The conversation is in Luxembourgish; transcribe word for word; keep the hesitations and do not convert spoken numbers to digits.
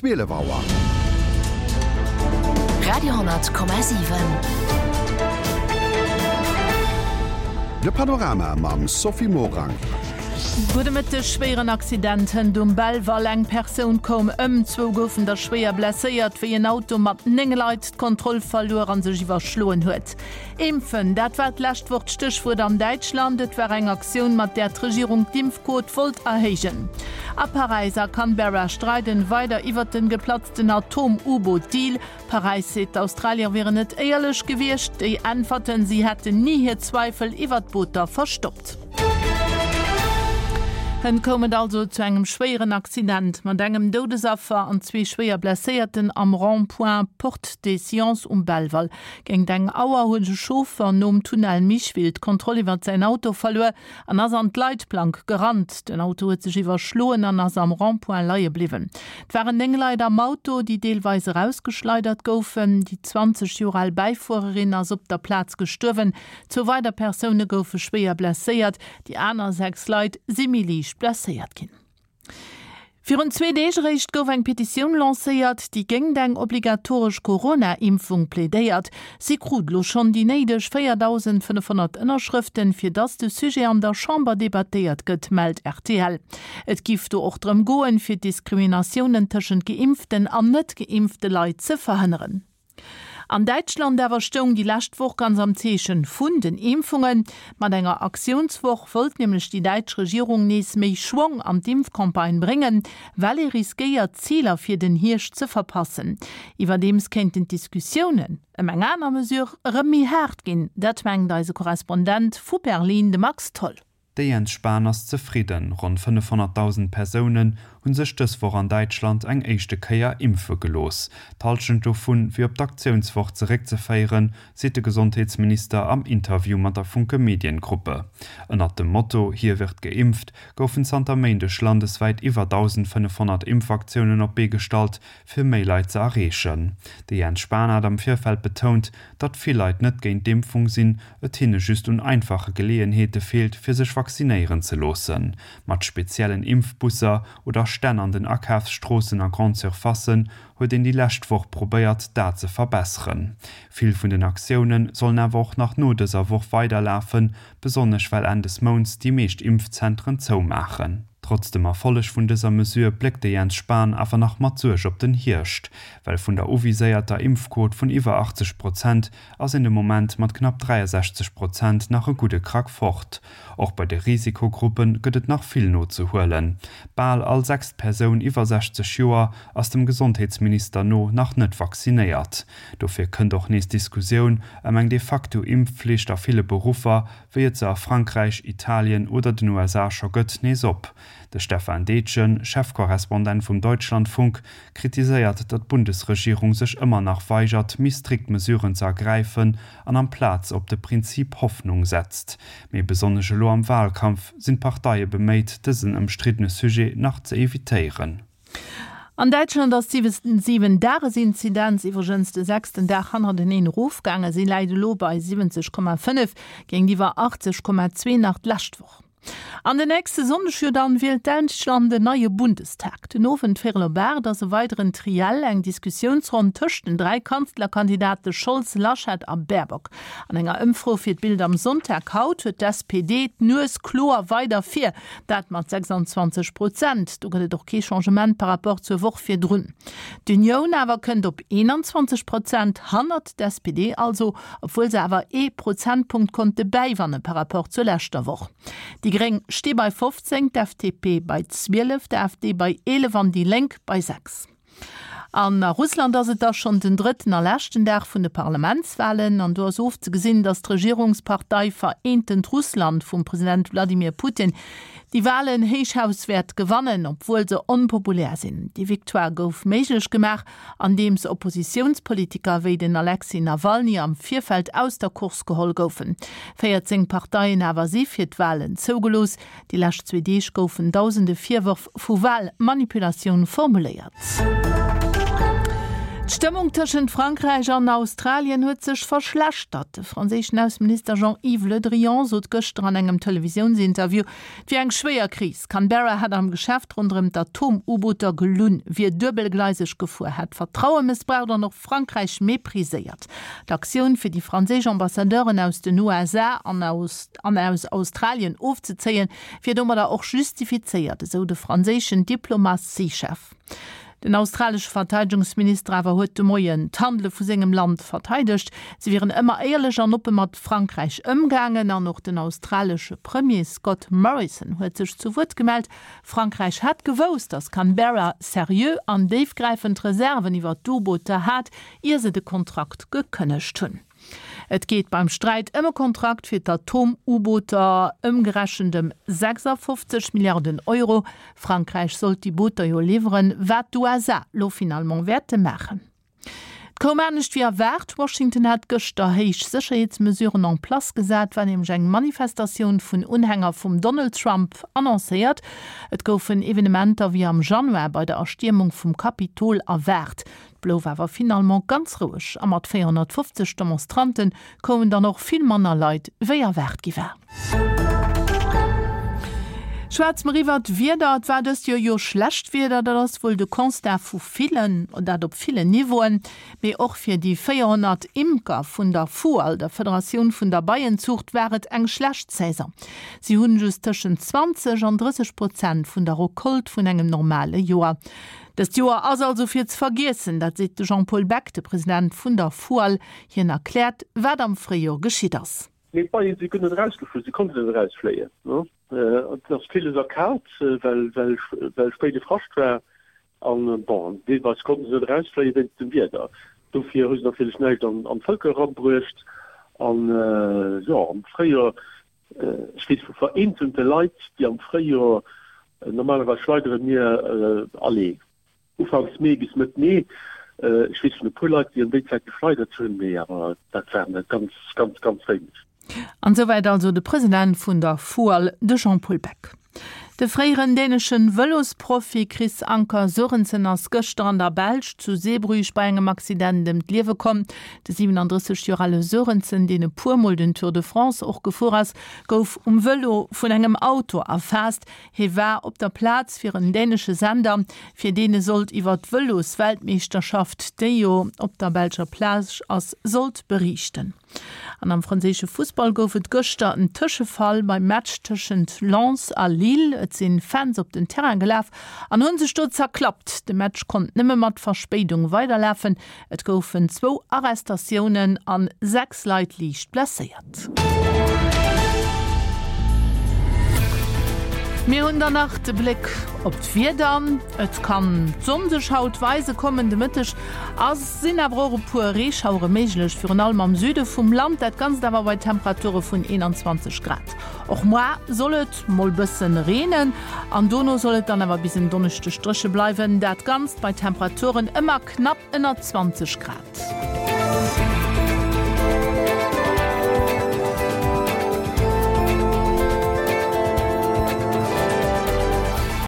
zwielef Auer. Radio honnert Komma siwen. De Panorama mam Sophie Morang. Gudde Mëtteg, Schwéieren Accident hënt um Belval, Eng Persoun koum ëm, zwou goufen der schwéier blesséiert, wéi en Auto mat néng Leit d'Kontroll verluer an sech iwwerschloen huet. Impfen, dat war d'lescht Woch d'Stéchwuert an Däitschland. Et war eng Aktioun, mat där d'Regierung d'Impfquot wollt erhéijen. A Paräis a Canberra streiden weider iwwert den geplatzten Atom-U-Boot-Deal. Paräis seet, d'Australier wieren net éierlech gewiescht. Déi äntwerten, si hätten ni hir Zweifel iwwert d'Booter verstoppt. Hënt koum et also zu engem schwéieren Accident mat engem Doudesaffer an zwee schwéier Blesséierten am Rond-point Porte des Sciences um Belval. Géint eng Auer huet e Chauffer nom Tunnel Micheville d'Kontroll iwwert säin Auto verluer an ass an d'Leitplank gerannt. Den Auto huet sech iwwerschloen an ass am Rond-point leie bliwwen. Et waren néng Leit am Auto, déi deelweis erausgeschleidert goufen. Déi zwanzeg Joer al Bäifuererin ass op der Plaz gestuerwen. Zwou weider Persoune goufe schwéier blesséiert. Déi aner sechs Leit si méi liicht blesséiert ginn. Virun zwee Deeg eréischt gouf eng Petitioun lancéiert, déi géingt eng obligatoresch Corona-Impfung plädéiert. Si krut elo schonn déi néideg véierdausendfënnefhonnert Ënnerschrëften, fir datt de Sujet an der Chamber debattéiert gëtt, mellt rtl. Et giff do och drëm goen, fir Diskriminatiounen tëschent geimpften an net geimpfte Leit ze verhënneren. An Däitschland awer stoung déi lescht Woch ganz am Zeechen vun den Impfungen. Mat enger Aktiounswoch wollt nämlech déi däitsch Regierung nees méi Schwong an d'Impfcampagne bréngen, well ee riskéiert, d'Ziler fir den Hierscht ze verpassen. Iwwerdeems kéinten d'Diskussiounen ëm eng aner Mesure erëm méi haart ginn, dat mengt eise Korrespondent vu Berlin, de Max Tholl. De Jens Spahn ass zefridden, Ronn fënnefhonnertdausend Persounen hu sech dës Woch an Däitschland eng éischte Kéier impfe gelooss. D'Hallschent dovu wier op d'Aktiounswoch zeréckzeféieren, seet de Gesondheetsminister am Interview mat der Funke Mediengruppe. Ënnert dem Motto Hier wird geimpft goufen zanter Méindeg landeswäit iwwer dausendfënnefhonnert Impfaktiounen op d'Bee gestallt, fir méi Leit ze erreechen. De Jens Spahn hat am Virfeld betount, datt vill Leit net géint d'Impfung sinn, et hinne just un einfache Geleeënheete feelt, fir sech vaccinéieren ze loossen. Mat speziellen Impfbusser oder Stänn an den Akafsstroossen a Grande-surfacen huet een déi lescht Woch probéiert, dat ze verbesseren. Vill vun den Aktioune sollen awer och nach no dëser Woch weiderlafen, besonnesch well Enn des Mounts déi meescht Impfzentren zoumaachen. Trotz dem Erfolleg vun dëser Mesure bléckt de Jens Spahn awer nach mat Suerg op den Hierscht, well vun der uviséierter Impfquot vun iwwer achtzeg Prozent ass een de Moment mat knapp dräiasechzeg Prozent nach e gudde Krack fort. Och bei de Risikogruppe gëtt et nach vill nozehuelen. Bal all sechst Persoun iwwer sechzeg Joer ass dem Gesondheetsminister no nach net vaccinéiert. Dofir kënnt och nees d'Diskussioun ëm eng de facto Impfflicht a ville Beruffer, wéi et se a Frankräich, Italien oder den U S A scho gëtt, nees op. De Stefan Detjen, Chefkorrespondent vum Deutschlandfunk, kritiséiert, datt d'Bundesregierung sech ëmmer nach weigert, méi strikt Mesuren ze ergräifen an amplaz op de Prinzip Hoffnung setzt. Mee besonnesch elo am Wahlkampf sinn d'Parteie beméit, dësen ëmstriddene Sujet nach ze evitéieren. An Däitschland ass d'Siwen-Dages-Inzidenz iwwregens de sechsten Dag hannerteneen erofgaangen. Si läit elo bei siwwenzeg Komma fënnef géintiwwer achtzeg Komma zwee nach d'lescht Woch. An den nächste Sonndeg jo dann wielt Däitschland en neie Bundestag. Den Owend véierel op aacht ass e weideren Triell, eng Diskussiounsronn tëscht den dräi Kanzlerkandidate Scholz, Laschet a Baerbock. An enger Ëmfro fir d'Bild am Sonntag haut huet d'S P D d'Nues kloer weider vir, dat mat sechsundzwanzeg Prozent. Do gëtt et och kee Changement par rapport zur Woch virdrun. D'Unioun awer kënnt op eenanzwanzeg Prozent, hannert d'S P D also, obwuel se awer ee Prozentpunkt konnte bäiwanne par rapport zur leschter Woch. Déi Gréng sti bei fofzéng, d'F D P bei zwielef, d'A F D bei eelef an déi Lénk bei sechs. An a Russland ass et da schonn den drëtten a leschten Dag vun de Parlamentswahlen an do ass ofzegesinn, datt d'Regierungspartei Vereentent Russland vum President Wladimir Putin déi Wahlen Héichhaus wäert gewannen, obwuel se onpopulär sinn. Déi Victoire gouf méiglech gemaach, andeems Oppositiounspolitiker wéi den Alexei Nawalny am Virfeld aus der Course geholl goufen. Véierzéng Parteien awer si fir d'Wahlen zougelooss. Déi lescht zwee Deeg goufen dausende Virwërf vu Wahlmanipulatioun formuléiert. D'Stëmmung tëschent Frankräich an Australien huet sech verschlechtert. De franséischen Ausseminister Jean-Yves Le Drian sot gëschter an engem Televisiounsinterview, et wier eng schwéier Kris. Canberra hätt am Geschäft ronderëm d'Atom-U-Booter gelunn, wier duebelgleiseg gefuer, hätt Vertraue mëssbraucht an och Frankräich mepriséiert. D'Aktioun fir déi franséisch Ambassadeuren aus den U S A an aus an aus Australien ofzezéien, wier domadder och justifizéiert, esou de franséischen Diplomatiechef. Den australesche Verteidegungsminister awer huet de Moien d'Handele vu sengem Land verteidegt. Si wieren ëmmer éierlech an oppe mat Frankräich ëmgaangen an och den australesche Premier Scott Morrison huet sech zu Wuert gemellt. Frankräich hätt gewousst, datt Canberra seriö an déifgräifend Reserven iwwer d'U-Booter hat, ier se de Kontrakt gekënnegt hunn. Et geet beim Sträit ëm e Kontrakt fir d'Atom-U-Booter ëmgerechent ëm sechsafofzeg Milliarden Euro. Frankräich sollt déi Booter jo liwweren, wat d'U S A lo finalement wäerte maachen. Et koum anescht wéi erwaart. Washington hat gëschter héich Sécherheetsmesuren en place gesat, war nämlech eng Manifestatioun vun Unhänger vum Donald Trump annoncéiert. Et goufen Evenementer wéi am Januar bei der Erstiermung vum Kapitol erwaart. Blouf awer finalement ganz roueg a mat véierhonnertfofzeg Demonstranten koumen dann och vill manner Leit wéi erwaart gi war. Schwätze mer iwwer d'Wieder. Et war dëst Joer jo schlecht Wieder, dat ass wuel de Constat vu villen, dat op villen Niveauen, mee och fir déi véierhonnert Imker vun der FUAL, der Federatioun vun der Beienzuucht, war et eng schlecht Saison. Si hunn just tëschent zwanzeg an drësseg Prozent vun der Recolte vun engem normale Joer. Dëst Joer ass also fir ze vergiessen, dat seet de Jean-Paul Beck, de President vun der FUAL. Hien erkläert, wat am Fréijoer geschitt ass. Nee, d'Beien, si kënnen erausgeflu, si konnten net erausfléien, ne? Et ass villes erkalt, well, well, well spéide Frascht war. An, bon, deelweis konnten se net erausfléien wéinst dem Wieder. Dofir hu se natierlech näischt an, an d'Vëlker erabruecht. An, jo, am Fréijoer, ech weess vu vereenzelte Leit, déi am Fréijoer, normalerweis schleidere mir, allez, Ufanks Mee bis Mëtt Mee. Ech weess vun e puer Leit, déi an déi Zäit geschleidert hunn, mee awer dat waren net ganz, ganz, ganz wéineg. An souwäit also de President vun der FUAL, de Jean-Paul Beck. De fréieren däneschen Vëlosprofi Chris Anker Sørensen ass gëschter an der Belsch zu Zeebrugge bei engem Accident ëm d'Liewe komm. De siewenunddrësseg Joer ale Sørensen, deen e puermol den Tour de France och gefuer ass, gouf um Vëlo vun engem Auto erfaasst. Hie war op der Plaz fir en dänesche Sender, fir deen e sollt iwwer d'Vëlosweltmeeschterschaft, déi jo op der belscher Plage ass, sollt beriichten. An am franséische Fussball gouf et gëschter en Tëschefall beim Match tëschent Lens a Lille. Et sinn Fans op den Terrain gelaf an hunn sech do zerklappt. De Match konnt nëmme mat Verspéidung weiderlafen. Et goufen zwou Arrestatiounen an sechs Leit liicht blesséiert. Mir hunn dann nach de Bléck op d'Wieder. Et kann d'Sonn sech haut weise kommen. De Mëtteg ass sinn awer och e puer Reeschauere méiglech, virun allem am Süde vum Land. Dat Ganzt awer bei Temperature vun eenanzwanzeg Grad. Och muer soll et mol bëssen reenen an dono soll et dann awer bis en Donneschdeg dréche bleiwen. Dat Ganzt bei Temperaturen ëmmer knapp ënner zwanzeg Grad.